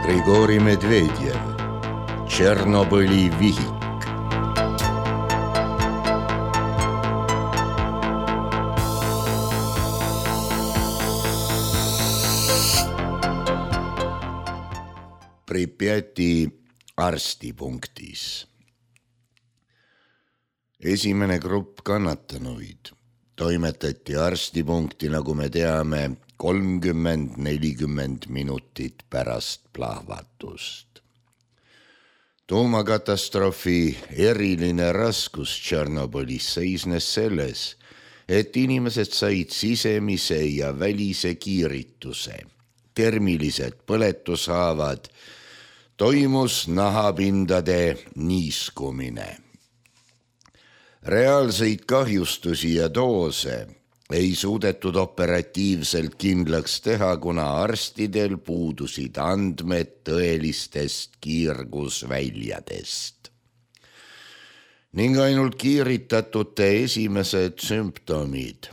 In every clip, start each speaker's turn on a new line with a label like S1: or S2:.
S1: Grigori Medvedjev, Tšernobõli vihik. Pripjati arstipunktis. Esimene grupp kannatanuid toimetati arstipunkti, nagu me teame, 30-40 minutit pärast plahvatust. Tuumakatastroofi eriline raskus Tšernobõlis seisnes selles, et inimesed said sisemise ja välise kiirituse, termilised põletushaavad, toimus nahapindade niiskumine. Reaalseid kahjustusi ja doose ei suudetud operatiivselt kindlaks teha, kuna arstidel puudusid andmed tõelistest kiirgusväljadest. Ning ainult kiiritatute esimesed sümptomid,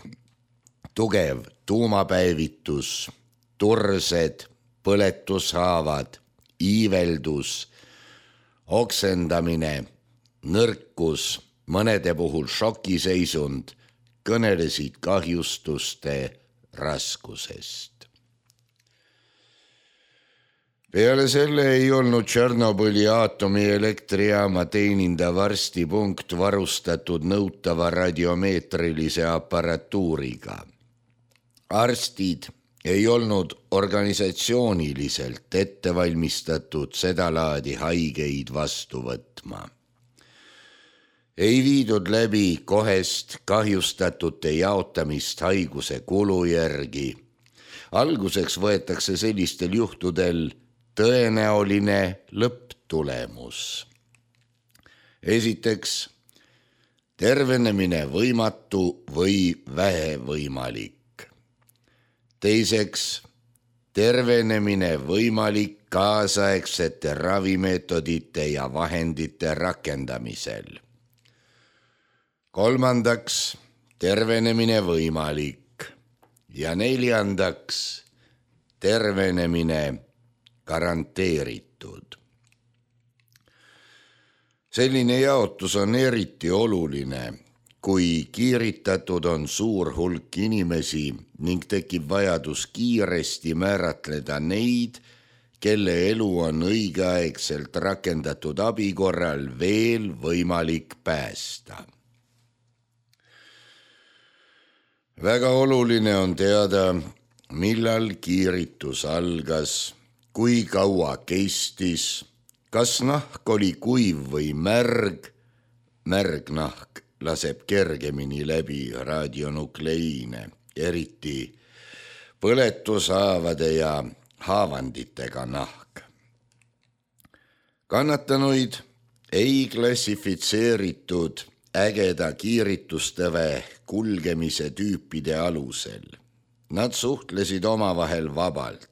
S1: tugev tuumapäevitus, tursed, põletushaavad, iiveldus, oksendamine, nõrkus, mõnede puhul šokiseisund, kõnelesid kahjustuste raskusest. Peale selle ei olnud Tšernobõli aatomieelektrijaama teenindav arstipunkt varustatud nõutava radiomeetrilise aparatuuriga. Arstid ei olnud organisatsiooniliselt ettevalmistatud seda laadi haigeid vastu võtma. Ei viidud läbi kohest kahjustatute jaotamist haiguse kulu järgi. Alguseks võetakse sellistel juhtudel tõenäoline lõpptulemus. Esiteks, tervenemine võimatu või vähevõimalik. Teiseks, tervenemine võimalik kaasaegsete ravimeetodite ja vahendite rakendamisel. Kolmandaks, tervenemine võimalik ja neljandaks, tervenemine garanteeritud. Selline jaotus on eriti oluline, kui kiiritatud on suur hulk inimesi ning tekib vajadus kiiresti määratleda neid, kelle elu on õigeaegselt rakendatud abi korral veel võimalik päästa. Väga oluline on teada, millal kiiritus algas, kui kaua kestis, kas nahk oli kuiv või märg. Märg nahk laseb kergemini läbi radionukleiine, eriti põletushaavade ja haavanditega nahk. Kannatanuid ei klassifitseeritud ägeda kiiritustõve kulgemise tüüpide alusel. Nad suhtlesid omavahel vabalt.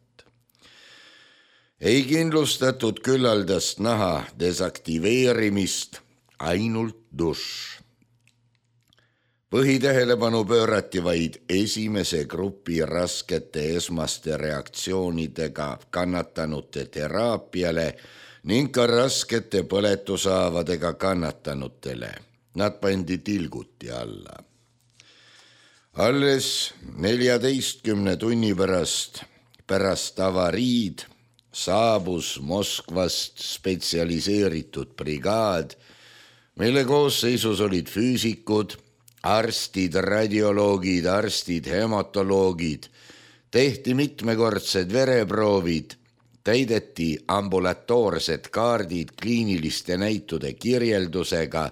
S1: Ei kindlustatud küllaldast naha desaktiveerimist, ainult dušš. Põhitähelepanu pöörati vaid esimese grupi raskete esmaste reaktsioonidega kannatanute teraapiale ning ka raskete põletushaavadega kannatanutele. Nad pandi tilguti alla. Alles 14 tunni pärast avariid saabus Moskvast spetsialiseeritud brigaad, mille koosseisus olid füüsikud, arstid, radioloogid, arstid, hematoloogid, tehti mitmekordsed vereproovid, täideti ambulatoorsed kaardid kliiniliste näitude kirjeldusega,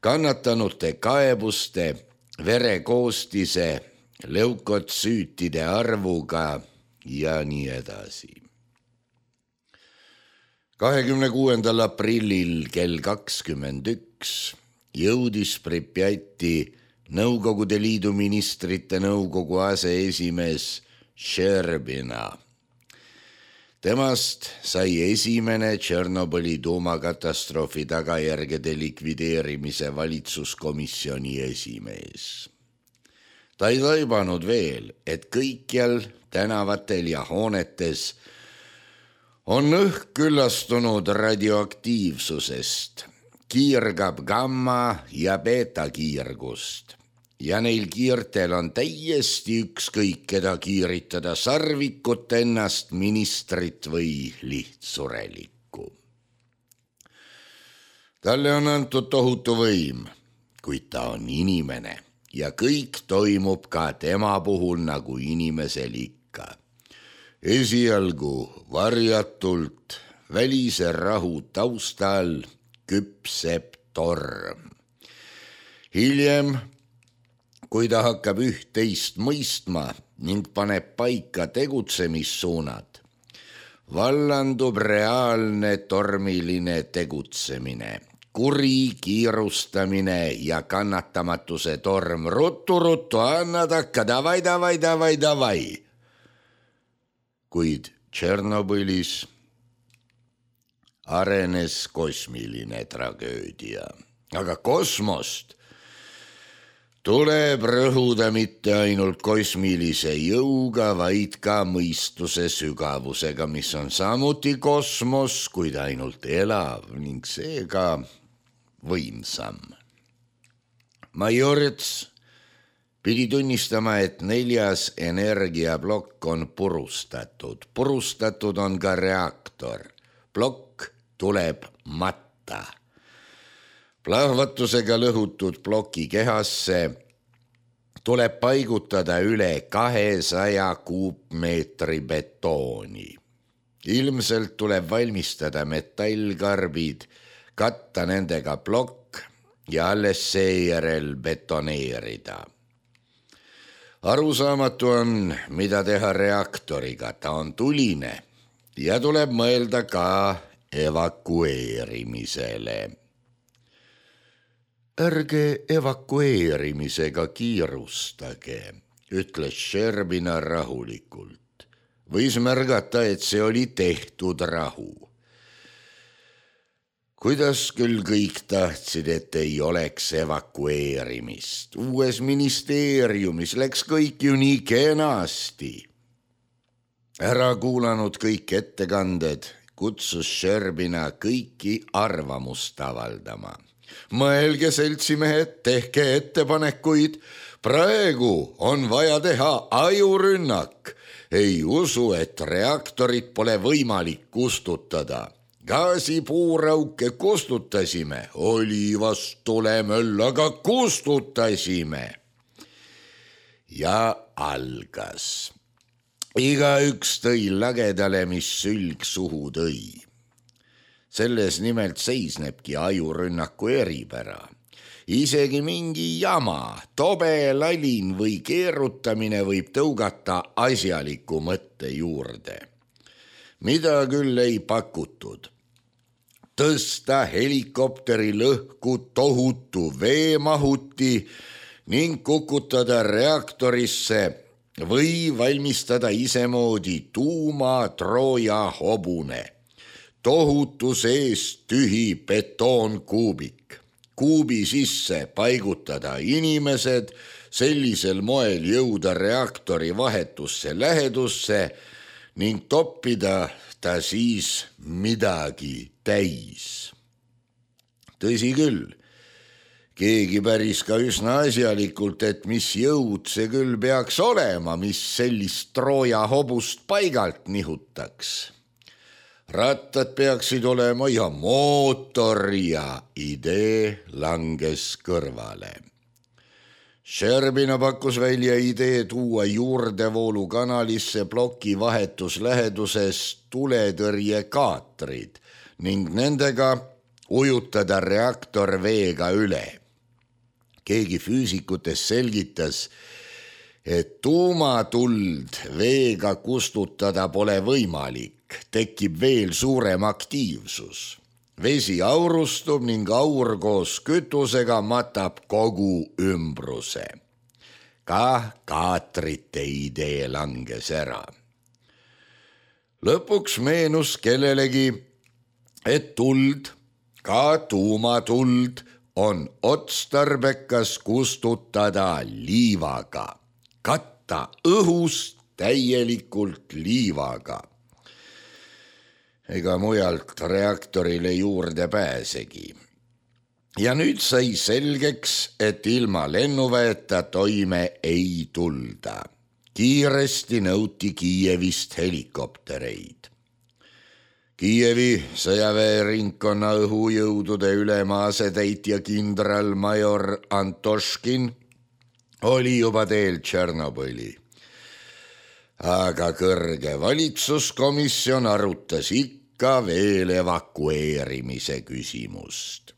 S1: kannatanute kaebuste, verekoostise, leukotsüütide arvuga ja nii edasi. 26. aprillil kell 21 jõudis Pripjati Nõukogude Liidu ministrite nõukogu aseesimees Šerbina. Temast sai esimene Tšernobõli tuumakatastroofi tagajärgede likvideerimise valitsuskomisjoni esimees. Ta ei taibanud veel, et kõikjal tänavatel ja hoonetes On õhk küllastunud radioaktiivsusest, kiirgab gamma ja beeta kiirgust ja neil kiirtel on täiesti ükskõik, keda kiiritada, sarvikut, ennast, ministrit või lihtsurelikku. Talle on antud tohutu võim, kuid ta on inimene ja kõik toimub ka tema puhul nagu inimesel ikka. Esialgu varjatult, välise rahu taustal küpseb torm. Hiljem, kui ta hakkab üht-teist mõistma ning paneb paika tegutsemissuunad, vallandub reaalne tormiline tegutsemine, kuri kiirustamine ja kannatamatuse torm. Ruttu, anna takka, davai. Kuid Tšernobõlis arenes kosmiline tragöödia. Aga kosmost tuleb rõhuda mitte ainult kosmilise jõuga, vaid ka mõistuse sügavusega, mis on samuti kosmos, kuid ainult elav ning seega võimsam. Majorits pidi tunnistama, et 4. energiaplokk on purustatud. Purustatud on ka reaktor. Plokk tuleb matta. Plahvatusega lõhutud ploki kehasse tuleb paigutada üle 200 kuupmeetri betooni. Ilmselt tuleb valmistada metallkarbid, katta nendega plokk ja alles seejärel betoneerida. Arusaamatu on, mida teha reaktoriga, ta on tuline ja tuleb mõelda ka evakueerimisele. Ärge evakueerimisega kiirustage, ütles Sherbina rahulikult. Võis märgata, et see oli tehtud rahu. Kuidas küll kõik tahtsid, et ei oleks evakueerimist. Uues ministeeriumis läks kõik ju nii kenasti. Ära kuulanud kõik ettekanded, kutsus Sherbina kõiki arvamust avaldama. Mõelge, seltsimehed, tehke ettepanekuid. Praegu on vaja teha ajurünnak. Ei usu, et reaktorit pole võimalik kustutada. Gaasipuurauke kustutasime, olivast tulemöll, aga kustutasime. Ja algas. Igaüks tõi lagedale, mis sülg suhu tõi. Selles nimelt seisnebki ajurünnaku eripära. Isegi mingi jama, tobe lalin või keerutamine võib tõugata asjaliku mõtte juurde. Mida küll ei pakutud. Tõsta helikopteri lõhku tohutu veemahuti ning kukutada reaktorisse või valmistada isemoodi tuumatrooja hobune. Tohutu sees tühi betoonkuubik. Kuubi sisse paigutada inimesed, sellisel moel jõuda reaktori vahetusse lähedusse ning toppida ta siis midagi täis. Tõsi küll, keegi päris ka üsna asjalikult, et mis jõud see küll peaks olema, mis sellist Trooja hobust paigalt nihutaks. Rattad peaksid olema ja mootor ja idee langes kõrvale. Sherbina pakkus välja idee tuua juurdevoolukanalisse ploki vahetusläheduses tuletõrjekaatrid ning nendega ujutada reaktor veega üle. Keegi füüsikutest selgitas, et tuumatuld veega kustutada pole võimalik, tekib veel suurem aktiivsus. Vesi aurustub ning aur koos kütusega matab kogu ümbruse. Ka kaatrite idee langes ära. Lõpuks meenus kellelegi, et tuld, ka tuumatuld, on otstarbekas kustutada liivaga, katta õhust täielikult liivaga. ega mujalt reaktorile juurde pääsegi. Ja nüüd sai selgeks, et ilma lennuväeta toime ei tulda. Kiiresti nõuti Kiievist helikoptereid. Kiievi sõjaväeringkonna õhujõudude ülema asetäitja kindralmajor Antoškin oli juba teel Tšernobõli. Aga kõrge valitsuskomisjon arutas ikka veel evakueerimise küsimust.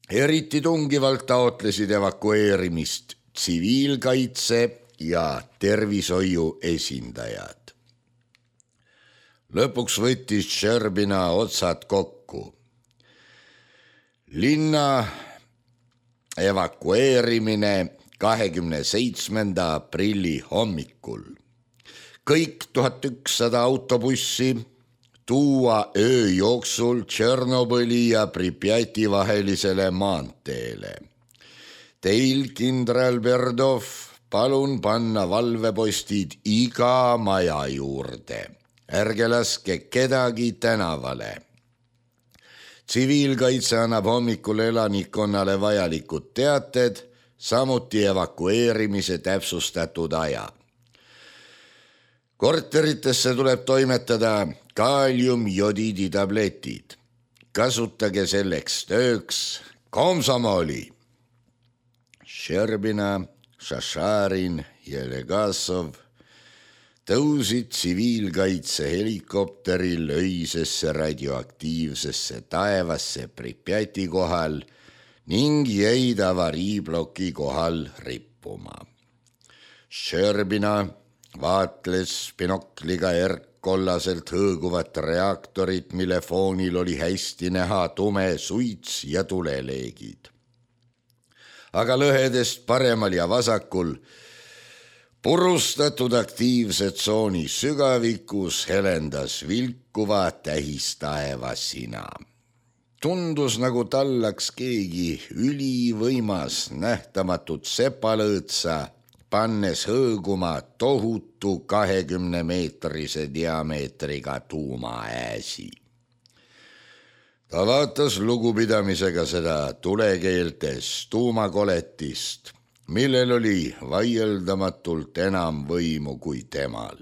S1: Eriti tungivalt taotlesid evakueerimist tsiviilkaitse ja tervishoiu esindajad. Lõpuks võttis Tšerbina otsad kokku. Linna evakueerimine 27. aprilli hommikul. Kõik 1100 autobussi tuua öö jooksul Tšernobõli ja Pripjati vahelisele maanteele. Teil, kindral Berdov, palun panna valvepostid iga maja juurde. Ärge laske kedagi tänavale. Tsiviilkaitse annab hommikul elanikkonnale vajalikud teated, samuti evakueerimise täpsustatud aja. Korteritesse tuleb toimetada kaaliumjodiiditabletid. Kasutage selleks tööks komsomoli. Tšerbina, Šašarin ja Legasov tõusid tsiviilkaitse helikopteril öisesse radioaktiivsesse taevasse Pripjati kohal ning jäid avariibloki kohal rippuma. Tšerbina vaatles binokliga erkkollaselt hõõguvat reaktorit, mille foonil oli hästi näha tume suits ja tuleleegid. Aga lõhedest paremal ja vasakul purustatud aktiivse tsooni sügavikus helendas vilkuva tähistaevasina. Tundus, nagu tallaks keegi ülivõimas nähtamatut sepalõõtsa, pannes hõõguma tohutu 20-meetrise diameetriga tuumaääsi. Ta vaatas lugupidamisega seda tulekeeltes tuumakoletist, millel oli vaieldamatult enam võimu kui temal,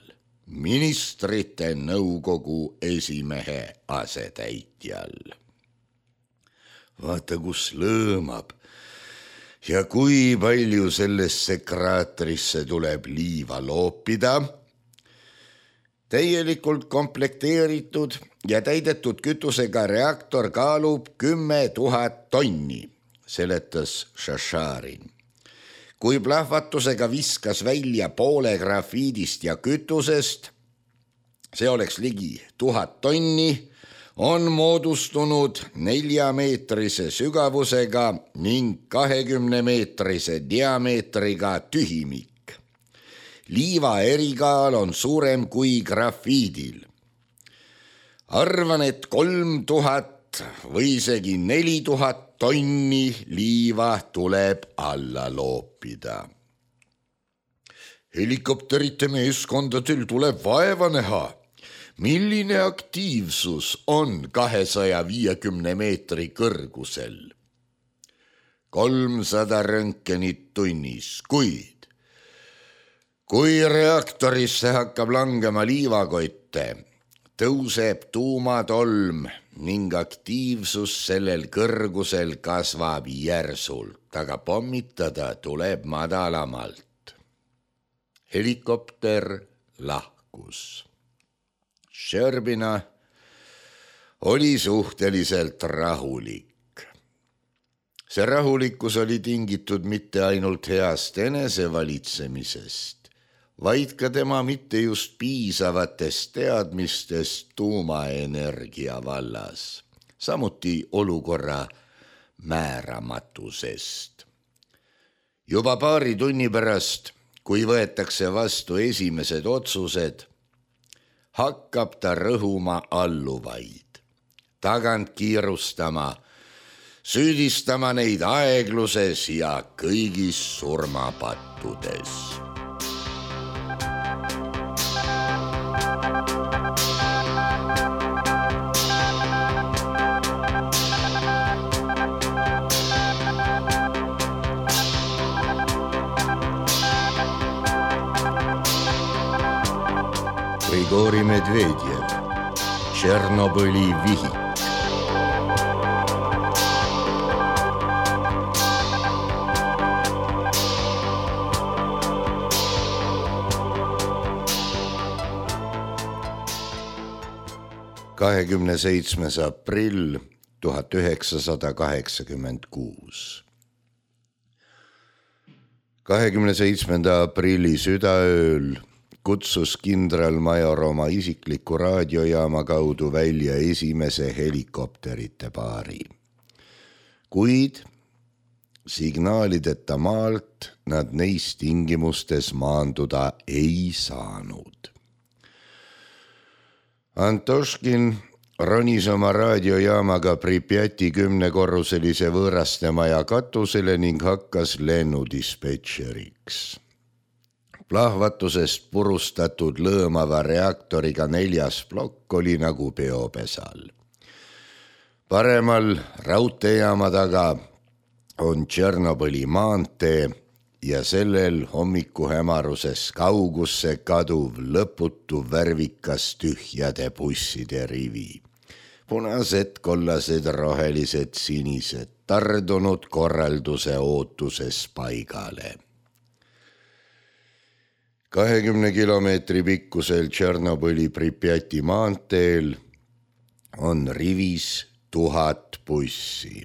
S1: ministrite nõukogu esimehe asetäitjal. Vaata, kus lõõmab ja kui palju sellesse kraatrisse tuleb liiva loopida. Täielikult komplekteeritud ja täidetud kütusega reaktor kaalub 10 000 tonni, seletas Šašarin. Kui plahvatusega viskas välja poole grafiidist ja kütusest, see oleks ligi 1000 tonni, on moodustunud 4-meetrise sügavusega ning 20-meetrise diameetriga tühimik. Liiva erikaal on suurem kui grafiidil. Arvan, et 3000 või isegi 4000 tonni liiva tuleb alla loopida. Helikopterite meeskondadel tuleb vaeva näha. Milline aktiivsus on 250 meetri kõrgusel? 300 röntgenit tunnis, kuid kui reaktorisse hakkab langema liivakotte, tõuseb tuumatolm ning aktiivsus sellel kõrgusel kasvab järsult, aga pommitada tuleb madalamalt. Helikopter lahkus. Tšerbina oli suhteliselt rahulik. See rahulikkus oli tingitud mitte ainult heast enesevalitsemisest, vaid ka tema mitte just piisavatest teadmistest tuumaenergia vallas, samuti olukorra määramatusest. Juba paari tunni pärast, kui võetakse vastu esimesed otsused, hakkab ta rõhuma alluvaid, tagant kiirustama, süüdistama neid aegluses ja kõigis surmapattudes. Grigori Medvedjev, Tšernobõli vihik. Aprill 1986. 27. aprilli südaööl kutsus kindralmajor oma isikliku raadiojaama kaudu välja esimese helikopterite paari. Kuid signaalideta maalt nad neis tingimustes maanduda ei saanud. Antoškin ronis oma raadiojaamaga Pripjati 10-korruselise võõraste maja katusele ning hakkas lennudispetšeriks. Plahvatusest purustatud lõõmava reaktoriga 4. plokk oli nagu peopesal. Paremal raudteejaama taga on Tšernobõli maantee ja sellel hommikuhämaruses kaugusse kaduv lõputu värvikas tühjade busside rivi. Punased, kollased, rohelised, sinised, tardunud korralduse ootuses paigale. 20 kilomeetri pikkusel Tšernobõli Pripjati maanteel on rivis 1000 bussi.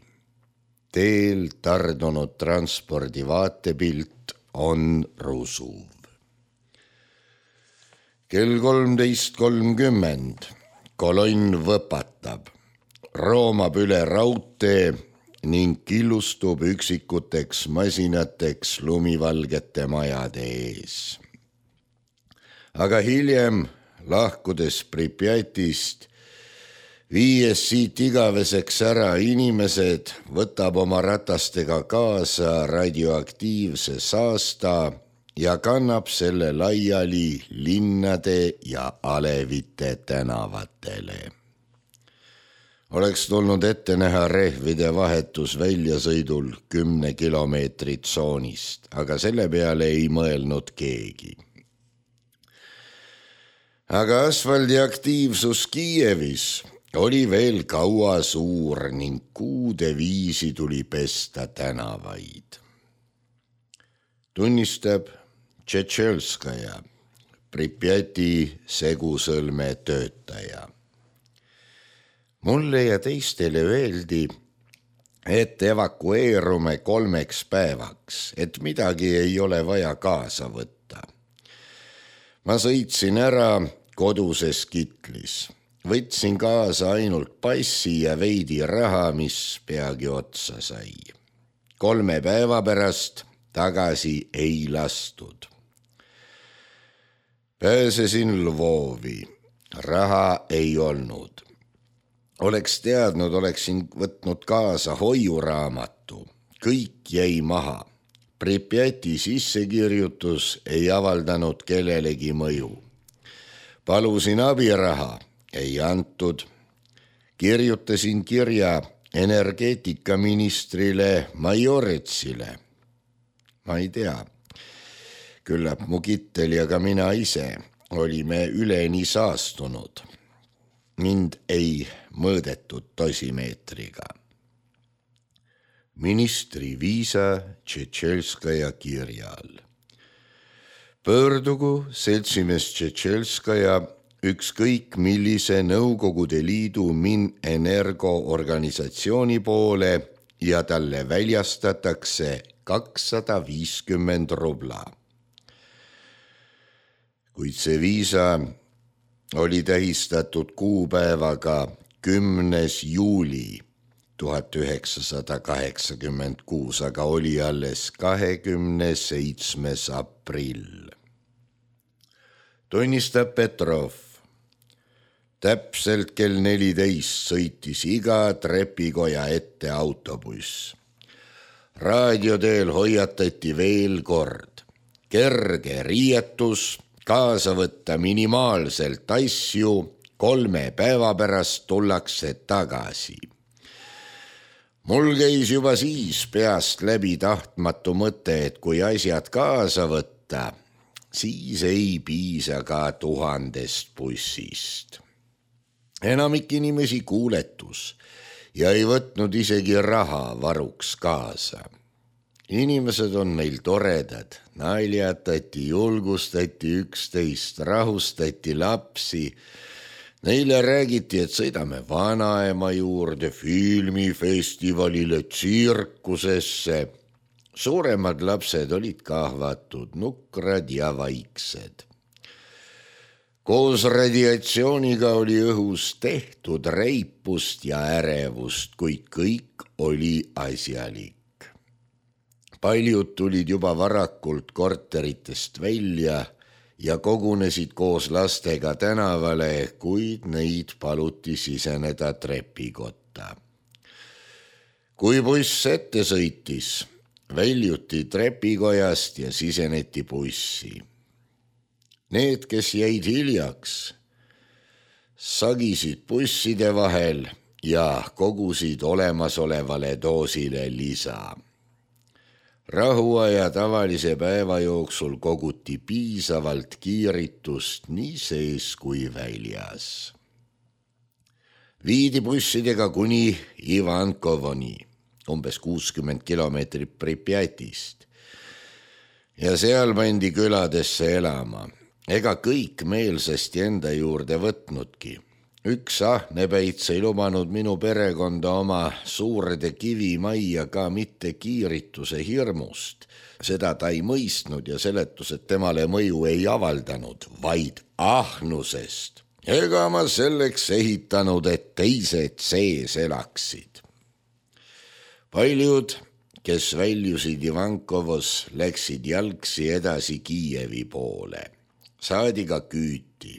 S1: Teel tardunud transpordi vaatepilt on rusuv. Kell 13.30 kolonn võpatab, roomab üle raudtee ning killustub üksikuteks masinateks lumivalgete majade ees. Aga hiljem, lahkudes Pripjatist, viies siit igaveseks ära inimesed, võtab oma ratastega kaasa radioaktiivse saasta ja kannab selle laiali linnade ja alevite tänavatele. Oleks tulnud ette näha rehvide vahetus väljasõidul 10 kilomeetrit tsoonist, aga selle peale ei mõelnud keegi. Aga asfaldi aktiivsus Kiievis oli veel kaua suur ning kuude viisi tuli pesta tänavaid. Tunnistab Tšetšelskaja, Pripjati segusõlme töötaja. Mulle ja teistele öeldi, et evakueerume 3 päevaks, et midagi ei ole vaja kaasa võtta. Ma sõitsin ära koduses kitlis. Võtsin kaasa ainult passi ja veidi raha, mis peagi otsa sai. 3 päeva pärast tagasi ei lastud. Pääsesin Lvovi. Raha ei olnud. Oleks teadnud, oleksin võtnud kaasa hoiuraamatu. Kõik jäi maha. Pripjati sissekirjutus ei avaldanud kellelegi mõju. Palusin abiraha. Ei antud. Kirjutasin kirja energeetikaministrile Majoretsile. Ma ei tea. Küllap mu kittel ja ka mina ise olime üleni saastunud. Mind ei mõõdetud dosimeetriga. Ministri viisa Tšetšelskaja kirjal. Pöördugu seltsimees Tšetšelskaja ükskõik millise Nõukogude Liidu Minenergo-organisatsiooni poole ja talle väljastatakse 250 rubla. Kuid see viisa oli tähistatud kuupäevaga 10. juuli 1986, aga oli alles 27. aprill. Tunnistab Petrov. Täpselt kell 14 sõitis iga trepikoja ette autobuss. Raadioteel hoiatati veel kord. Kerge riietus, kaasa võtta minimaalselt asju, 3 päeva pärast tullakse tagasi. Mul käis juba siis peast läbi tahtmatu mõte, et kui asjad kaasa võtta, siis ei piisa ka 1000 bussist. Enamik inimesi kuuletus ja ei võtnud isegi raha varuks kaasa. Inimesed on meil toredad, naljatati, julgustati üksteist, rahustati lapsi. Neile räägiti, et sõidame vanaema juurde, filmifestivalile, tsirkusesse. Suuremad lapsed olid kahvatud, nukrad ja vaiksed. Koos radiatsiooniga oli õhus tehtud reipust ja ärevust, kuid kõik oli asjalik. Paljud tulid juba varakult korteritest välja ja kogunesid koos lastega tänavale, kuid neid paluti siseneda trepikotta. Kui buss ette sõitis, väljuti trepikojast ja siseneti bussi. Need, kes jäid hiljaks, sagisid busside vahel ja kogusid olemasolevale doosile lisa. Rahuaja tavalise päeva jooksul koguti piisavalt kiiritust nii sees kui väljas. Viidi bussidega kuni Ivankovoni, umbes 60 kilomeetrit Pripjatist, ja seal pandi küladesse elama. Ega kõik meelsasti enda juurde võtnudki. Üks ahnepäits ei lubanud minu perekonda oma suurde kivimajja ka mitte kiirituse hirmust. Seda ta ei mõistnud ja seletused temale mõju ei avaldanud, vaid ahnusest. Ega ma selleks ehitanud, et teised sees elaksid. Paljud, kes väljusid Ivankovos, läksid jalgsi edasi Kiievi poole. Saadi ka küüti.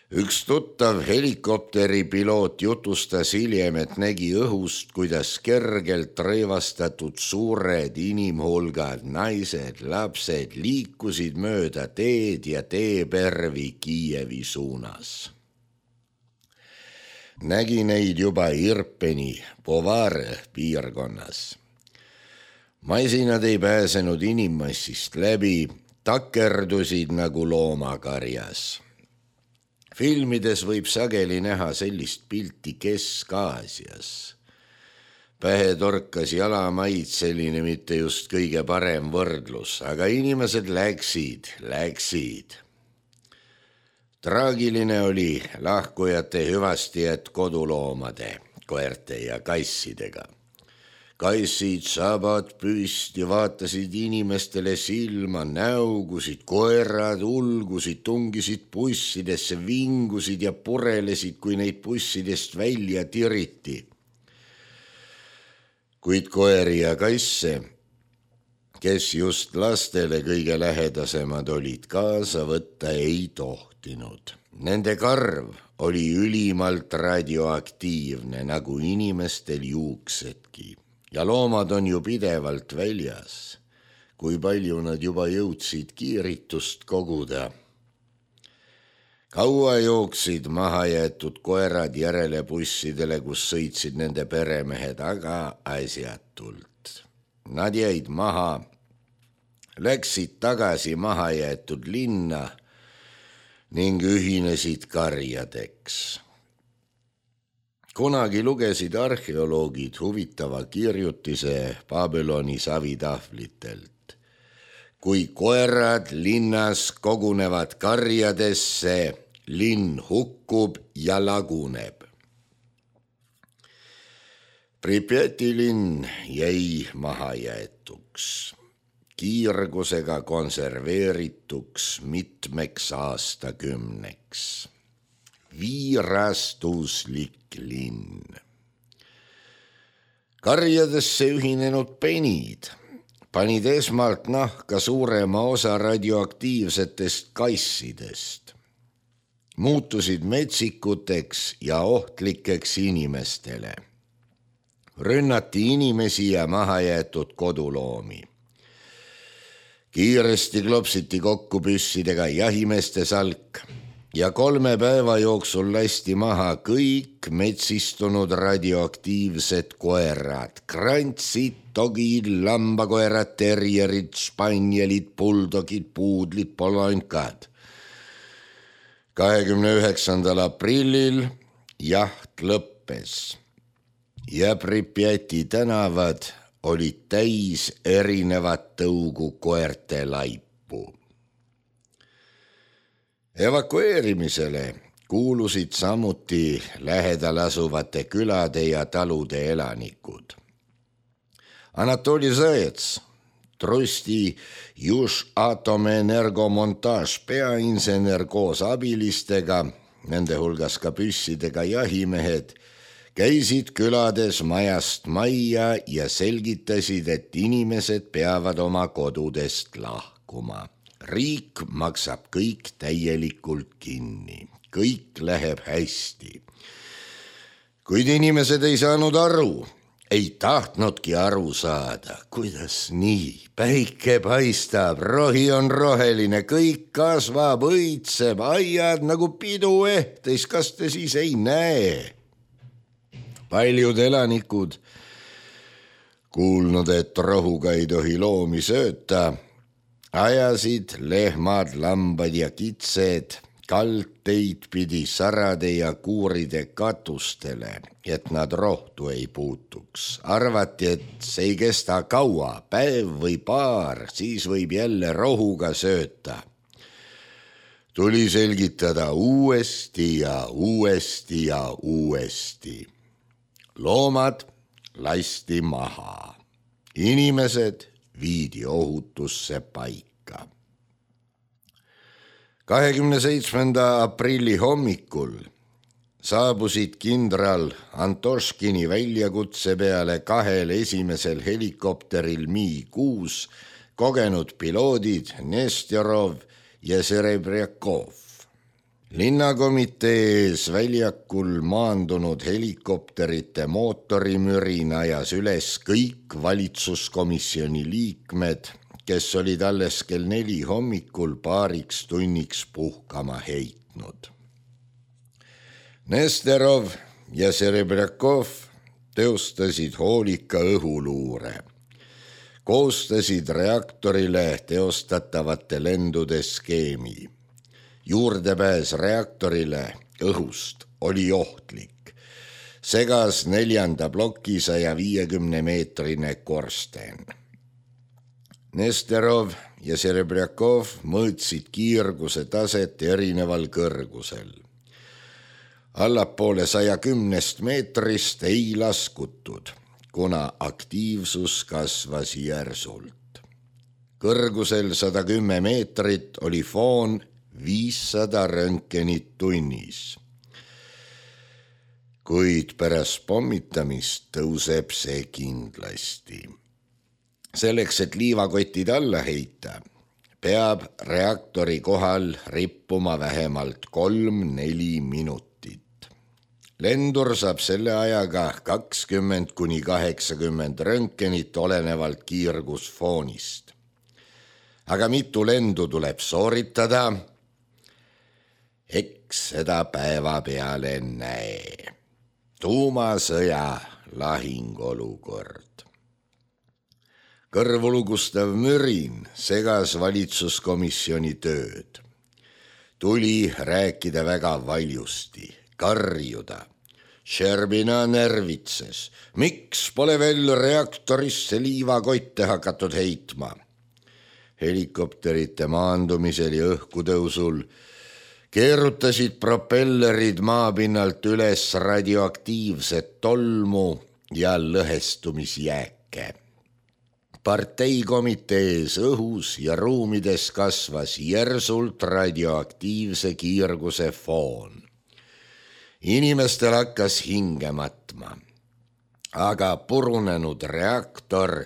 S1: Üks tuttav helikopteripiloot jutustas hiljem, et nägi õhust, kuidas kergelt rõivastatud suured inimhulgad, naised, lapsed liikusid mööda teed ja teepervi Kiievi suunas. Nägi neid juba Irpeni, Povare piirkonnas. Masinad ei pääsenud inimmassist läbi, takerdusid nagu loomakarjas. Filmides võib sageli näha sellist pilti Kesk-Aasias. Pähe torkas jalamaitseline, mitte just kõige parem võrdlus, aga inimesed läksid. Traagiline oli lahkujate hüvastijät koduloomade, koerte ja kassidega. Kassid sabad püsti, vaatasid inimestele silma, näugusid, koerad ulgusid, tungisid bussidesse, vingusid ja purelesid, kui neid bussidest välja tiriti. Kuid koeri ja kasse, kes just lastele kõige lähedasemad olid, kaasa võtta ei tohtinud. Nende karv oli ülimalt radioaktiivne, nagu inimestel juuksedki. Ja loomad on ju pidevalt väljas, kui palju nad juba jõudsid kiiritust koguda. Kaua jooksid mahajäetud koerad järele bussidele, kus sõitsid nende peremehed, aga asjatult. Nad jäid maha, läksid tagasi mahajäetud linna ning ühinesid karjadeks. Kunagi lugesid arheoloogid huvitava kirjutise Babyloni savitahvlitelt. Kui koerad linnas kogunevad karjadesse, linn hukkub ja laguneb. Pripjati linn jäi mahajäetuks, kiirgusega konserveerituks mitmeks aastakümneks. Viirastuslik linn. Karjadesse ühinenud penid panid esmalt nahka suurema osa radioaktiivsetest kassidest. Muutusid metsikuteks ja ohtlikeks inimestele. Rünnati inimesi ja mahajäetud koduloomi. Kiiresti klopsiti kokku püssidega jahimeeste salk. ja 3 päeva jooksul lasti maha kõik metsistunud radioaktiivsed koerad, krantsid, dogid, lambakoerad, terjerid, spanjelid, buldogid, puudlid, polonkad. 29. aprillil jaht lõppes ja Pripjati tänavad olid täis erinevat tõugu koerte laipu. Evakueerimisele kuulusid samuti lähedal asuvate külade ja talude elanikud. Anatoli Zajets, Trusti Južatomenergomontaž peainsener koos abilistega, nende hulgas ka püssidega jahimehed, käisid külades majast majja ja selgitasid, et inimesed peavad oma kodudest lahkuma. Riik maksab kõik täielikult kinni, kõik läheb hästi. Kuid inimesed ei saanud aru, ei tahtnudki aru saada, kuidas nii, päike paistab, rohi on roheline, kõik kasvab, õitseb, aiad nagu pidu ehtes, kas te siis ei näe? Paljud elanikud, kuulnud, et rohuga ei tohi loomi sööta, ajasid lehmad, lambad ja kitsed kaldteid pidi sarade ja kuuride katustele, et nad rohtu ei puutuks. Arvati, et see ei kesta kaua, päev või paar, siis võib jälle rohuga sööta. Tuli selgitada uuesti ja uuesti ja uuesti. Loomad lasti maha. Inimesed viidi ohutusse paika. 27. aprilli hommikul saabusid kindral Antoškini väljakutse peale 2 esimesel helikopteril Mi-6 kogenud piloodid Nesterov ja Serebrjakov. Linnakomitee ees väljakul maandunud helikopterite mootorimürin ajas üles kõik valitsuskomisjoni liikmed, kes olid alles kell 4 hommikul paariks tunniks puhkama heitnud. Nesterov ja Serebrjakov teostasid hoolika õhuluure, koostasid reaktorile teostatavate lendude skeemi. Juurdepääs reaktorile õhust oli ohtlik. Segas 4. ploki 150-meetrine korsten. Nesterov ja Serebrjakov mõõtsid kiirguse taset erineval kõrgusel. Allapoole 110 meetrist ei laskutud, kuna aktiivsus kasvas järsult. Kõrgusel 110 meetrit oli foon 500 röntgenit tunnis. Kuid pärast pommitamist tõuseb see kindlasti. Selleks, et liivakotid alla heita, peab reaktori kohal rippuma vähemalt 3-4 minutit. Lendur saab selle ajaga 20-80 röntgenit olenevalt kiirgusfoonist. Aga mitu lendu tuleb sooritada? Eks seda päeva peale näe. Tuumasõja lahingolukord. Kõrvulugustav mürin segas valitsuskomisjoni tööd. Tuli rääkida väga valjusti, karjuda. Šerbina närvitses. Miks pole veel reaktorisse liivakotte hakatud heitma? Helikopterite maandumisel ja õhkutõusul keerutasid propellerid maapinnalt üles radioaktiivset tolmu ja lõhestumisjääke. Parteikomitees õhus ja ruumides kasvas järsult radioaktiivse kiirguse foon. Inimestel hakkas hinge matma, aga purunenud reaktor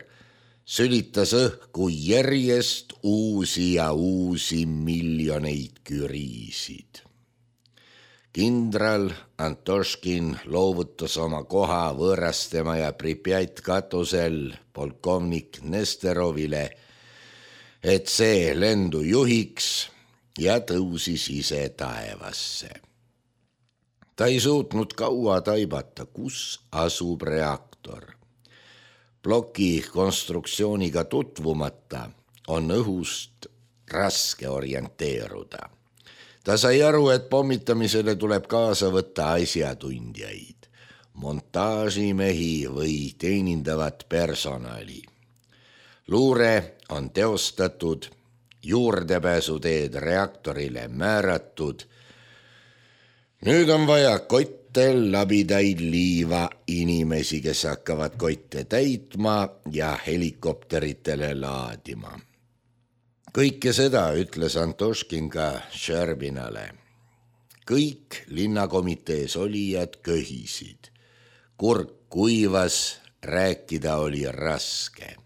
S1: sülitas õhku järjest uusi ja uusi miljoneid küriisid. Kindral Antoškin loovutas oma koha võõrastema ja Pripjat katusel polkovnik Nesterovile, et see lendu juhiks ja tõusis ise taevasse. Ta ei suutnud kaua taibata, kus asub reaktor. Ploki konstruktsiooniga tutvumata on õhust raske orienteeruda. Ta sai aru, et pommitamisele tuleb kaasa võtta asjatundjaid, montaažimehi või teenindavat personali. Luure on teostatud, juurdepääsuteed reaktorile määratud. Nüüd on vaja kotte, labidaid, liiva, inimesi, kes hakkavad kotte täitma ja helikopteritele laadima. Kõike seda ütles Antoškin ka Šerbinale. Kõik linnakomitees olijad köhisid. Kurk kuivas, rääkida oli raske.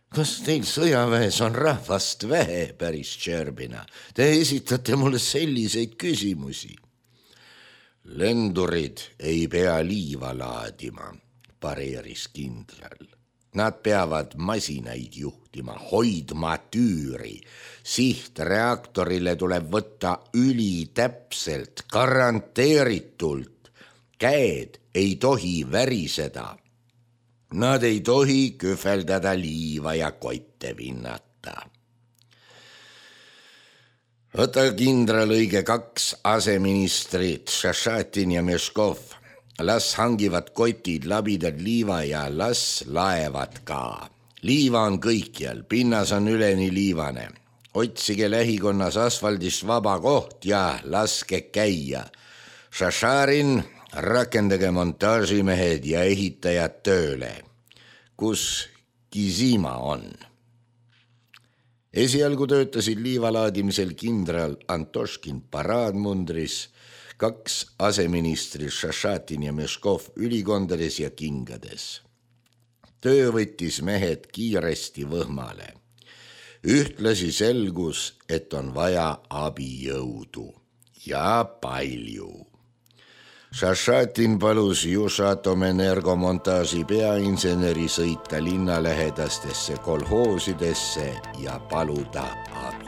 S1: Kas teil sõjaväes on rahvast vähe, päris Šerbina? Te esitate mulle selliseid küsimusi. Lendurid ei pea liiva laadima, pareeris kindral. Nad peavad masinaid juhtima, hoidma tüüri. Sihtreaktorile tuleb võtta ülitäpselt, garanteeritult. Käed ei tohi väriseda. Nad ei tohi kühveldada liiva ja kotte vinnata. Võta kindral õige 2 aseministrit, Šašatin ja Meškov. Las hangivad kotid, labidad, liiva ja las laevad ka. Liiva on kõikjal, pinnas on üleni liivane. Otsige lähikonnas asfaldist vaba koht ja laske käia. Šašarin, rakendage montaažimehed ja ehitajad tööle. Kus Kizima on? Esialgu töötasid liivalaadimisel kindral Antoškin paraadmundris, 2 aseministri Šašatin ja Meškov ülikondades ja kingades. Töö võttis mehed kiiresti võhmale. Ühtlasi selgus, et on vaja abijõudu ja palju. Šašatin palus Jušatomenergo montaaži peainseneri sõita linnalähedastesse kolhoosidesse ja paluda abi.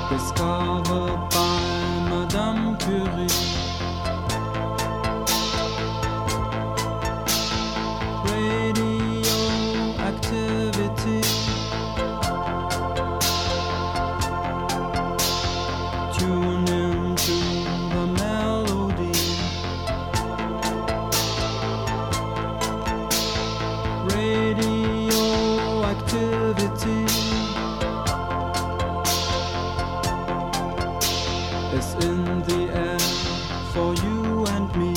S2: Discovered by Madame Curie. Radioactivity. Tune into the melody. Radioactivity. It's in the air for you and me.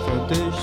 S2: Für dich